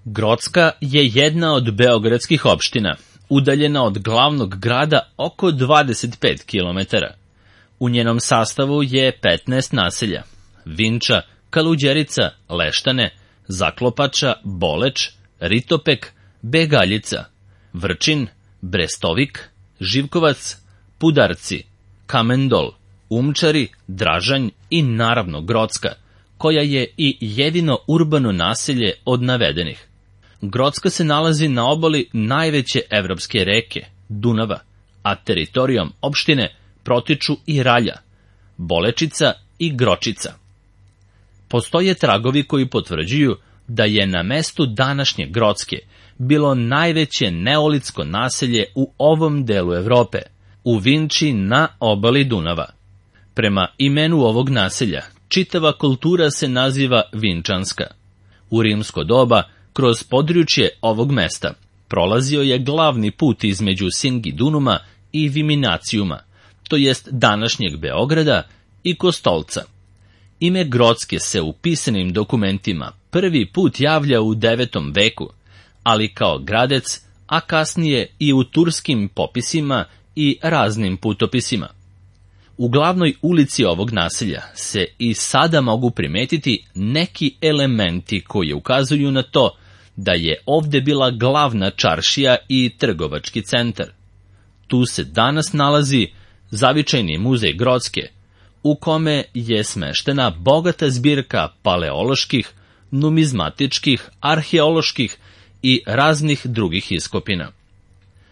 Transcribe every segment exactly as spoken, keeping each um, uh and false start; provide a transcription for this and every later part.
Grocka je jedna od beogradskih opština, udaljena od glavnog grada oko dvadeset pet kilometara. U njenom sastavu je petnaest naselja: Vinča, Kaluđerica, Leštane, Zaklopača, Boleč, Ritopek, Begaljica, Vrčin, Brestovik, Živkovac, Pudarci, Kamendol, Umčari, Dražanj i naravno Grocka, koja je i jedino urbano naselje od navedenih. Grocka se nalazi na obali najveće evropske reke, Dunava, a teritorijom opštine protiču i Ralja, Bolečica i Gročica. Postoje tragovi koji potvrđuju da je na mestu današnje Grocke bilo najveće neolitsko naselje u ovom delu Evrope, u Vinči na obali Dunava. Prema imenu ovog naselja, čitava kultura se naziva Vinčanska. U rimsko doba, kroz područje ovog mesta, prolazio je glavni put između Singidunuma i Viminacijuma, to jest današnjeg Beograda i Kostolca. Ime Grocke se u pisanim dokumentima prvi put javlja u devetom veku, ali kao gradec, a kasnije i u turskim popisima i raznim putopisima. U glavnoj ulici ovog naselja se i sada mogu primetiti neki elementi koji ukazuju na to da je ovde bila glavna čaršija i trgovački centar. Tu se danas nalazi zavičajni muzej Grocke, u kome je smeštena bogata zbirka paleoloških, numizmatičkih, arheoloških i raznih drugih iskopina.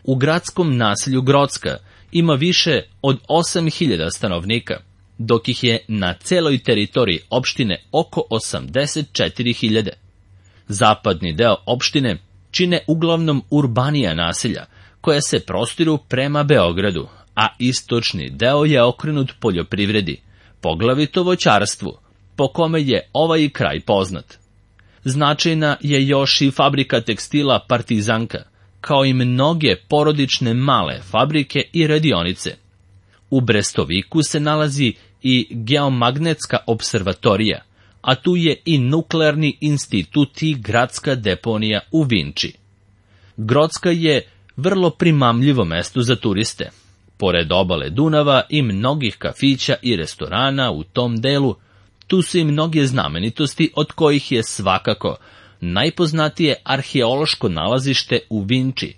U gradskom naselju Grocka ima više od osam hiljada stanovnika, dok ih je na celoj teritoriji opštine oko osamdeset četiri hiljade. Zapadni deo opštine čine uglavnom urbanija naselja, koja se prostiru prema Beogradu, a istočni deo je okrenut poljoprivredi, poglavito voćarstvu, po kome je ovaj kraj poznat. Značajna je još i fabrika tekstila Partizanka, kao i mnoge porodične male fabrike i radionice. U Brestoviku se nalazi i geomagnetska observatorija, a tu je i nuklearni institut i gradska deponija u Vinči. Grocka je vrlo primamljivo mesto za turiste. Pored obale Dunava i mnogih kafića i restorana u tom delu, tu su i mnoge znamenitosti, od kojih je svakako najpoznatije arheološko nalazište u Vinči,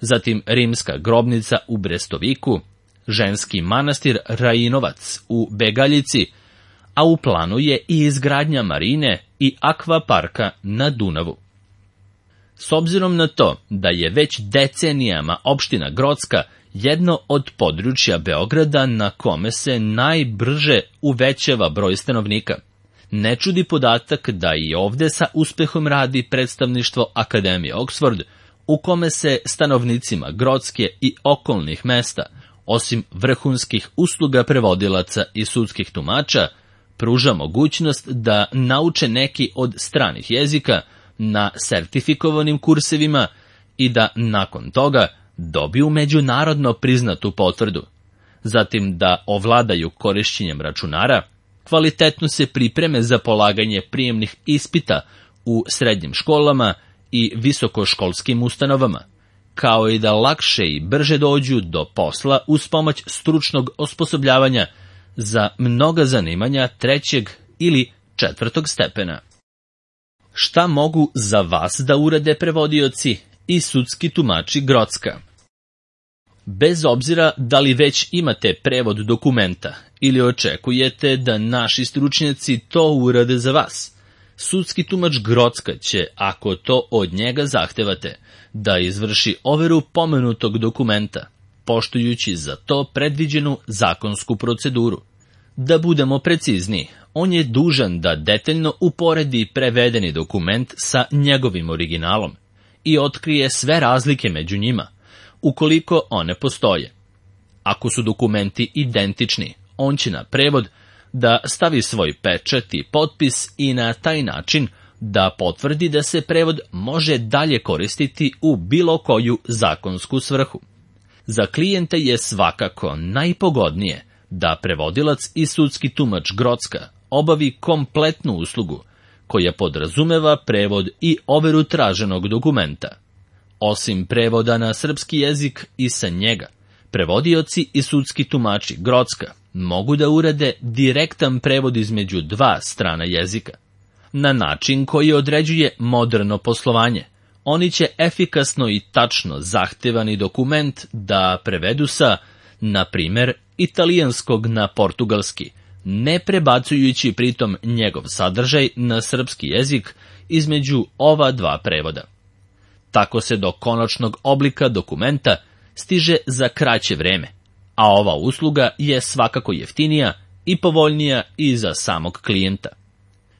zatim rimska grobnica u Brestoviku, ženski manastir Rajinovac u Begaljici, a u planu je i izgradnja marine i akvaparka na Dunavu. S obzirom na to da je već decenijama opština Grocka jedno od područja Beograda na kome se najbrže uvećava broj stanovnika, ne čudi podatak da i ovde sa uspehom radi predstavništvo Akademije Oxford, u kome se stanovnicima Grocke i okolnih mesta, osim vrhunskih usluga prevodilaca i sudskih tumača, pruža mogućnost da nauče neki od stranih jezika na sertifikovanim kursevima i da nakon toga dobiju međunarodno priznatu potvrdu, zatim da ovladaju korišćenjem računara, kvalitetno se pripreme za polaganje prijemnih ispita u srednjim školama i visokoškolskim ustanovama, kao i da lakše i brže dođu do posla uz pomoć stručnog osposobljavanja za mnoga zanimanja trećeg ili četvrtog stepena. Šta mogu za vas da urade prevodioci i sudski tumači Grocka? Bez obzira da li već imate prevod dokumenta ili očekujete da naši stručnjaci to urade za vas, sudski tumač Grocka će, ako to od njega zahtevate, da izvrši overu pomenutog dokumenta, poštujući za to predviđenu zakonsku proceduru. Da budemo precizniji, on je dužan da detaljno uporedi prevedeni dokument sa njegovim originalom i otkrije sve razlike među njima, ukoliko one postoje. Ako su dokumenti identični, on će na prevod da stavi svoj pečat i potpis i na taj način da potvrdi da se prevod može dalje koristiti u bilo koju zakonsku svrhu. Za klijente je svakako najpogodnije da prevodilac i sudski tumač Grocka obavi kompletnu uslugu, koja podrazumeva prevod i overu traženog dokumenta. Osim prevoda na srpski jezik i sa njega, prevodioci i sudski tumači Grocka mogu da urade direktan prevod između dva strana jezika. Na način koji određuje moderno poslovanje, oni će efikasno i tačno zahtevani dokument da prevedu sa, na primer, italijanskog na portugalski, ne prebacujući pritom njegov sadržaj na srpski jezik između ova dva prevoda. Tako se do konačnog oblika dokumenta stiže za kraće vreme, a ova usluga je svakako jeftinija i povoljnija i za samog klijenta.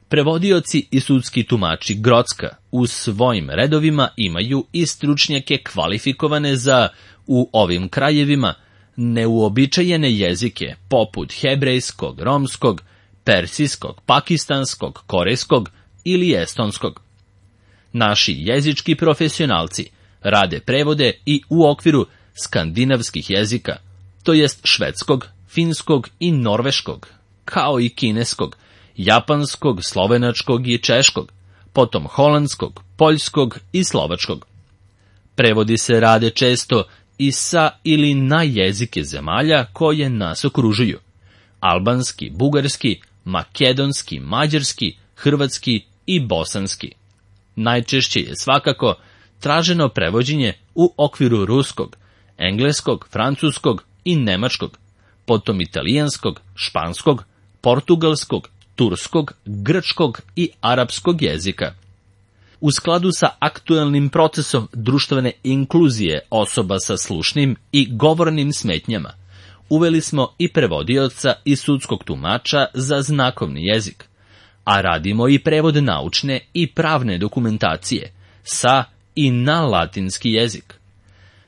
Prevodioci i sudski tumači Grocka u svojim redovima imaju i stručnjake kvalifikovane za, u ovim krajevima, neuobičajene jezike poput hebrejskog, romskog, persijskog, pakistanskog, korejskog ili estonskog. Naši jezički profesionalci rade prevode i u okviru skandinavskih jezika, to jest švedskog, finskog i norveškog, kao i kineskog, japanskog, slovenačkog i češkog, potom holandskog, poljskog i slovačkog. Prevodi se rade često i sa ili na jezike zemalja koje nas okružuju: albanski, bugarski, makedonski, mađarski, hrvatski i bosanski. Najčešće je svakako traženo prevođenje u okviru ruskog, engleskog, francuskog i nemačkog, potom italijanskog, španskog, portugalskog, turskog, grčkog i arapskog jezika. U skladu sa aktuelnim procesom društvene inkluzije osoba sa slušnim i govornim smetnjama, uveli smo i prevodioca i sudskog tumača za znakovni jezik, a radimo i prevod naučne i pravne dokumentacije sa i na latinski jezik.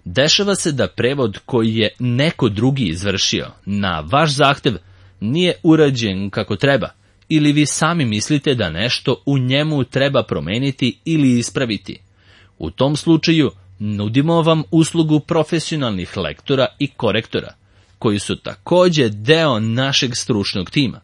Dešava se da prevod koji je neko drugi izvršio na vaš zahtev nije urađen kako treba, ili vi sami mislite da nešto u njemu treba promeniti ili ispraviti. U tom slučaju nudimo vam uslugu profesionalnih lektora i korektora, koji su takođe deo našeg stručnog tima.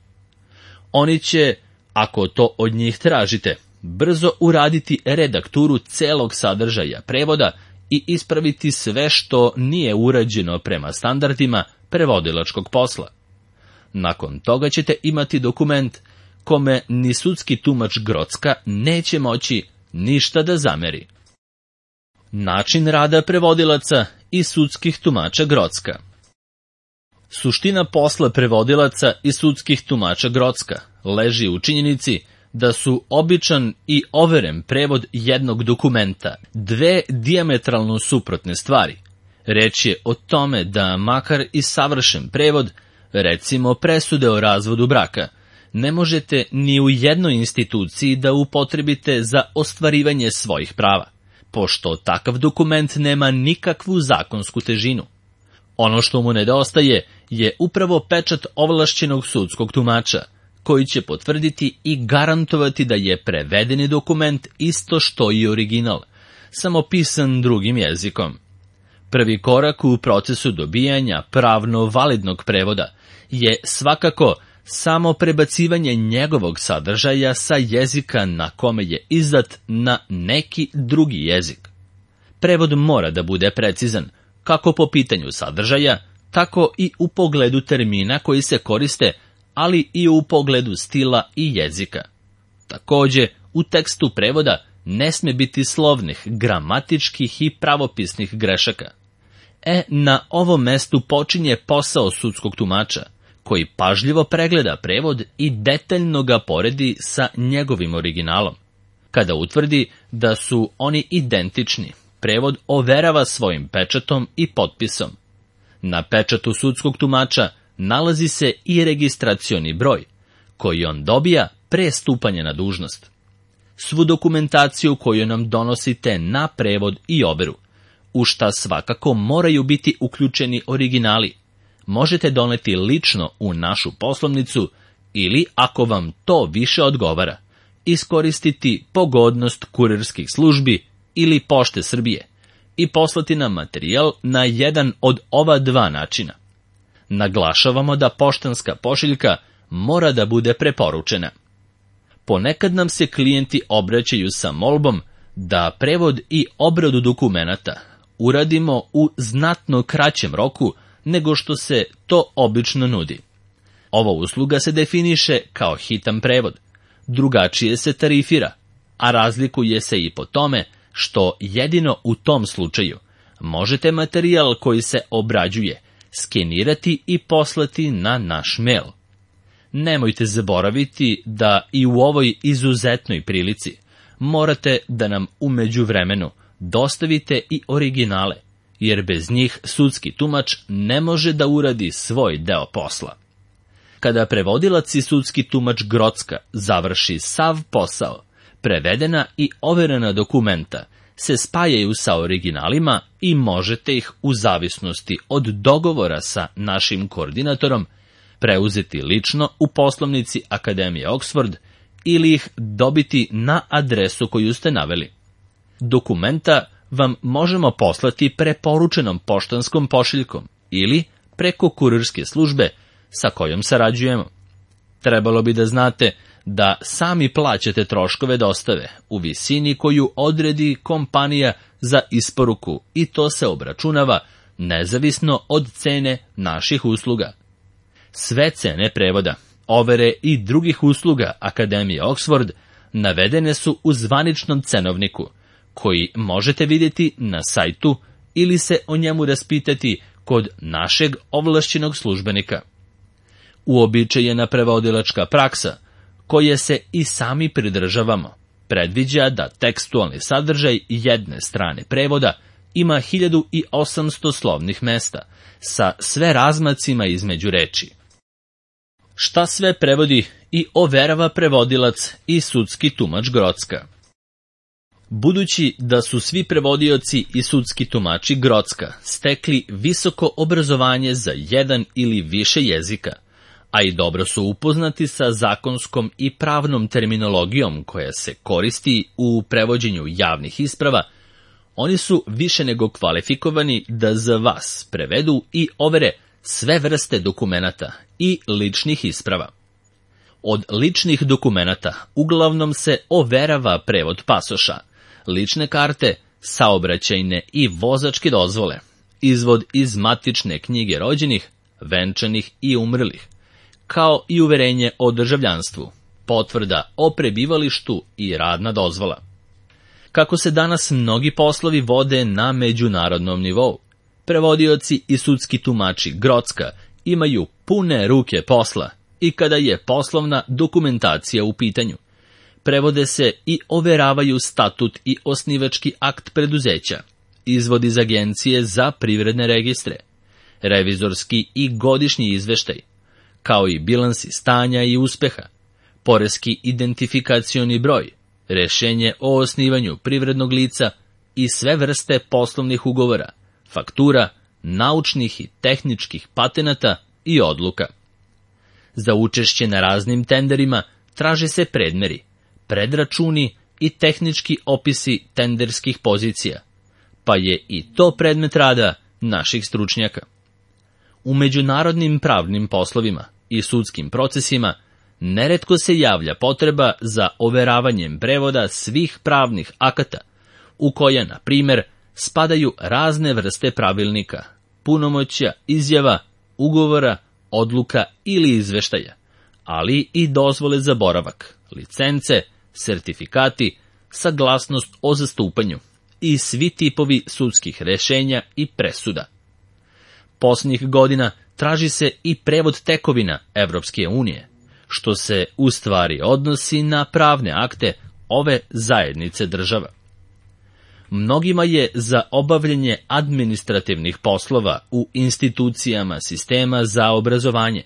Oni će, ako to od njih tražite, brzo uraditi redakturu celog sadržaja prevoda i ispraviti sve što nije urađeno prema standardima prevodilačkog posla. Nakon toga ćete imati dokument kome ni sudski tumač Grocka neće moći ništa da zameri. Način rada prevodilaca i sudskih tumača Grocka. Suština posla prevodilaca i sudskih tumača Grocka leži u činjenici da su običan i overen prevod jednog dokumenta dve dijametralno suprotne stvari. Reč je o tome da makar i savršen prevod, recimo presude o razvodu braka, ne možete ni u jednoj instituciji da upotrebite za ostvarivanje svojih prava, pošto takav dokument nema nikakvu zakonsku težinu. Ono što mu nedostaje je upravo pečat ovlašćenog sudskog tumača, koji će potvrditi i garantovati da je prevedeni dokument isto što i original, samo pisan drugim jezikom. Prvi korak u procesu dobijanja pravno validnog prevoda je svakako samo prebacivanje njegovog sadržaja sa jezika na kome je izdat na neki drugi jezik. Prevod mora da bude precizan, kako po pitanju sadržaja, tako i u pogledu termina koji se koriste, ali i u pogledu stila i jezika. Takođe, u tekstu prevoda ne sme biti slovnih, gramatičkih i pravopisnih grešaka. E, na ovom mestu počinje posao sudskog tumača, koji pažljivo pregleda prevod i detaljno ga poredi sa njegovim originalom. Kada utvrdi da su oni identični, prevod overava svojim pečatom i potpisom. Na pečatu sudskog tumača nalazi se i registracioni broj, koji on dobija pre stupanja na dužnost. Svu dokumentaciju koju nam donosite na prevod i overu, u šta svakako moraju biti uključeni originali, možete doneti lično u našu poslovnicu ili, ako vam to više odgovara, iskoristiti pogodnost kurirskih službi ili Pošte Srbije i poslati nam materijal na jedan od ova dva načina. Naglašavamo da poštanska pošiljka mora da bude preporučena. Ponekad nam se klijenti obraćaju sa molbom da prevod i obradu dokumenata uradimo u znatno kraćem roku nego što se to obično nudi. Ova usluga se definiše kao hitan prevod, drugačije se tarifira, a razlikuje se i po tome što jedino u tom slučaju možete materijal koji se obrađuje skenirati i poslati na naš mail. Nemojte zaboraviti da i u ovoj izuzetnoj prilici morate da nam u međuvremenu dostavite i originale, jer bez njih sudski tumač ne može da uradi svoj deo posla. Kada prevodilac i sudski tumač Grocka završi sav posao, prevedena i overena dokumenta se spajaju sa originalima i možete ih u zavisnosti od dogovora sa našim koordinatorom preuzeti lično u poslovnici Akademije Oxford ili ih dobiti na adresu koju ste naveli. Dokumenta vam možemo poslati preporučenom poštanskom pošiljkom ili preko kurirske službe sa kojom sarađujemo. Trebalo bi da znate da sami plaćate troškove dostave u visini koju odredi kompanija za isporuku i to se obračunava nezavisno od cene naših usluga. Sve cene prevoda, overe i drugih usluga Akademije Oxford navedene su u zvaničnom cenovniku, koji možete vidjeti na sajtu ili se o njemu raspitati kod našeg ovlašćenog službenika. Uobičajena prevodilačka praksa, koje se i sami pridržavamo, predviđa da tekstualni sadržaj jedne strane prevoda ima hiljadu osamsto slovnih mesta, sa sve razmacima između reči. Šta sve prevodi i overava prevodilac i sudski tumač Grocka? Budući da su svi prevodioci i sudski tumači Grocka stekli visoko obrazovanje za jedan ili više jezika, a i dobro su upoznati sa zakonskom i pravnom terminologijom koja se koristi u prevođenju javnih isprava, oni su više nego kvalifikovani da za vas prevedu i overe sve vrste dokumenata i ličnih isprava. Od ličnih dokumenata uglavnom se overava prevod pasoša, lične karte, saobraćajne i vozačke dozvole, izvod iz matične knjige rođenih, venčanih i umrlih, kao i uverenje o državljanstvu, potvrda o prebivalištu i radna dozvola. Kako se danas mnogi poslovi vode na međunarodnom nivou, prevodioci i sudski tumači Grocka imaju pune ruke posla i kada je poslovna dokumentacija u pitanju. Prevode se i overavaju statut i osnivački akt preduzeća, izvod iz agencije za privredne registre, revizorski i godišnji izveštaj, kao i bilansi stanja i uspeha, poreski identifikacioni broj, rešenje o osnivanju privrednog lica i sve vrste poslovnih ugovora, faktura, naučnih i tehničkih patenata i odluka. Za učešće na raznim tenderima traže se predmeri, predračuni i tehnički opisi tenderskih pozicija, pa je i to predmet rada naših stručnjaka. U međunarodnim pravnim poslovima i sudskim procesima neretko se javlja potreba za overavanjem prevoda svih pravnih akata, u koje, na primjer, spadaju razne vrste pravilnika, punomoćja, izjava, ugovora, odluka ili izveštaja, ali i dozvole za boravak, licence, sertifikati, saglasnost o zastupanju i svi tipovi sudskih rešenja i presuda. Posljednjih godina traži se i prevod tekovina Evropske unije, što se u stvari odnosi na pravne akte ove zajednice država. Mnogima je za obavljanje administrativnih poslova u institucijama sistema za obrazovanje,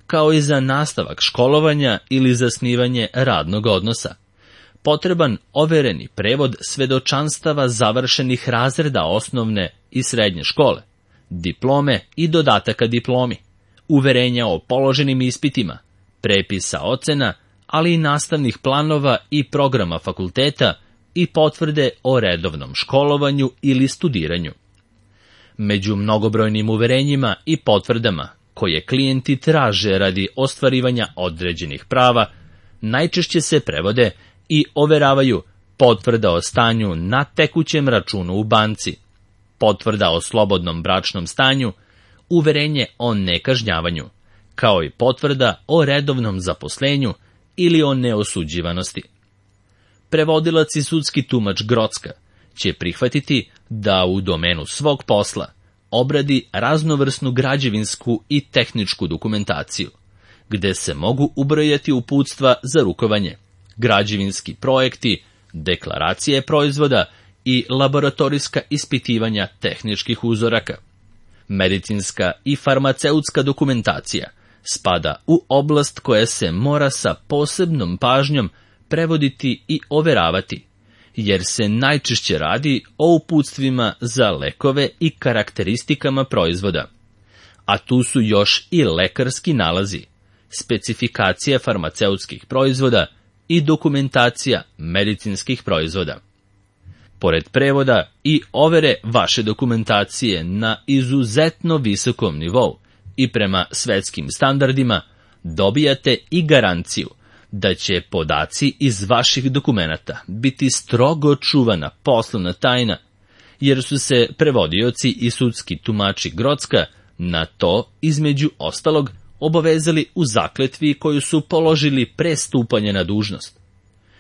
kao i za nastavak školovanja ili zasnivanje radnog odnosa, potreban overeni prevod svedočanstava završenih razreda osnovne i srednje škole, diplome i dodataka diplomi, uverenja o položenim ispitima, prepisa ocena, ali i nastavnih planova i programa fakulteta i potvrde o redovnom školovanju ili studiranju. Među mnogobrojnim uverenjima i potvrdama koje klijenti traže radi ostvarivanja određenih prava, najčešće se prevode i overavaju potvrda o stanju na tekućem računu u banci, potvrda o slobodnom bračnom stanju, uverenje o nekažnjavanju, kao i potvrda o redovnom zaposlenju ili o neosuđivanosti. Prevodilac i sudski tumač Grocka će prihvatiti da u domenu svog posla obradi raznovrsnu građevinsku i tehničku dokumentaciju, gde se mogu ubrojati uputstva za rukovanje, građevinski projekti, deklaracije proizvoda i laboratorijska ispitivanja tehničkih uzoraka. Medicinska i farmaceutska dokumentacija spada u oblast koja se mora sa posebnom pažnjom prevoditi i overavati, jer se najčešće radi o uputstvima za lekove i karakteristikama proizvoda. A tu su još i lekarski nalazi, specifikacija farmaceutskih proizvoda i dokumentacija medicinskih proizvoda. Pored prevoda i overe vaše dokumentacije na izuzetno visokom nivou i prema svetskim standardima, dobijate i garanciju da će podaci iz vaših dokumenata biti strogo čuvana poslovna tajna, jer su se prevodioci i sudski tumači Grocka na to, između ostalog, obavezali u zakletvi koju su položili pre stupanja na dužnost.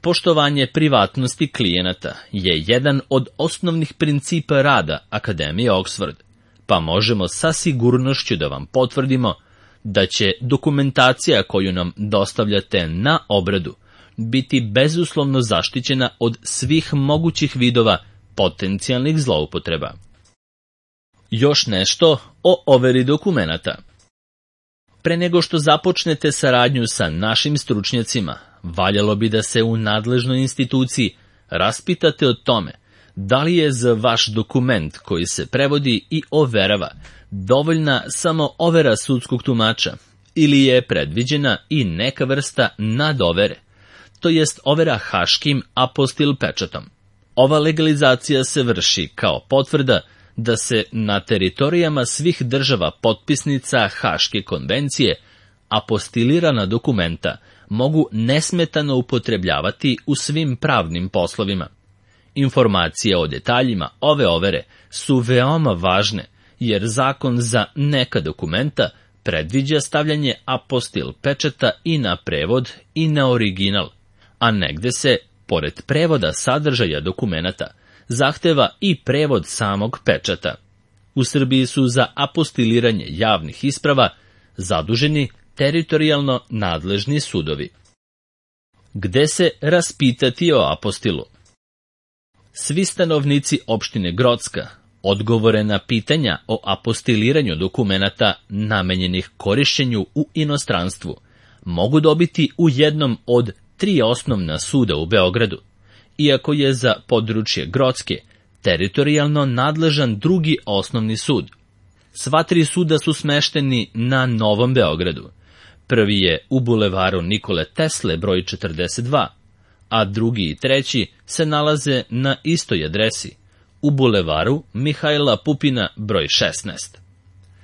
Poštovanje privatnosti klijenata je jedan od osnovnih principa rada Akademije Oxford, pa možemo sa sigurnošću da vam potvrdimo da će dokumentacija koju nam dostavljate na obradu biti bezuslovno zaštićena od svih mogućih vidova potencijalnih zloupotreba. Još nešto o overi dokumenata. Pre nego što započnete saradnju sa našim stručnjacima, valjalo bi da se u nadležnoj instituciji raspitate o tome da li je za vaš dokument koji se prevodi i overava dovoljna samo overa sudskog tumača ili je predviđena i neka vrsta nadovere, to jest overa haškim apostil pečatom. Ova legalizacija se vrši kao potvrda da se na teritorijama svih država potpisnica Haške konvencije apostilirana dokumenta mogu nesmetano upotrebljavati u svim pravnim poslovima. Informacije o detaljima ove overe su veoma važne, jer zakon za neka dokumenta predviđa stavljanje apostil pečata i na prevod i na original, a negde se, pored prevoda sadržaja dokumenata, zahteva i prevod samog pečata. U Srbiji su za apostiliranje javnih isprava zaduženi teritorijalno nadležni sudovi. Gde se raspitati o apostilu? Svi stanovnici opštine Grocka odgovore na pitanja o apostiliranju dokumenata namenjenih korišćenju u inostranstvu mogu dobiti u jednom od tri osnovna suda u Beogradu, iako je za područje Grocke teritorijalno nadležan drugi osnovni sud. Sva tri suda su smešteni na Novom Beogradu. Prvi je u bulevaru Nikole Tesle broj četrdeset dva, a drugi i treći se nalaze na istoj adresi, u bulevaru Mihajla Pupina broj šesnaest.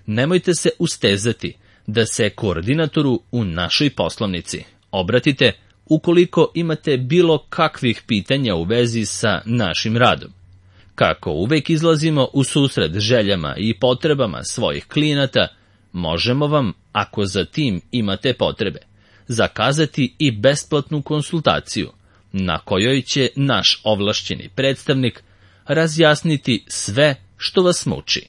Nemojte se ustezati da se koordinatoru u našoj poslovnici obratite ukoliko imate bilo kakvih pitanja u vezi sa našim radom. Kako uvek izlazimo u susret željama i potrebama svojih klijenata, možemo vam, ako za tim imate potrebe, zakazati i besplatnu konsultaciju, na kojoj će naš ovlašćeni predstavnik razjasniti sve što vas muči.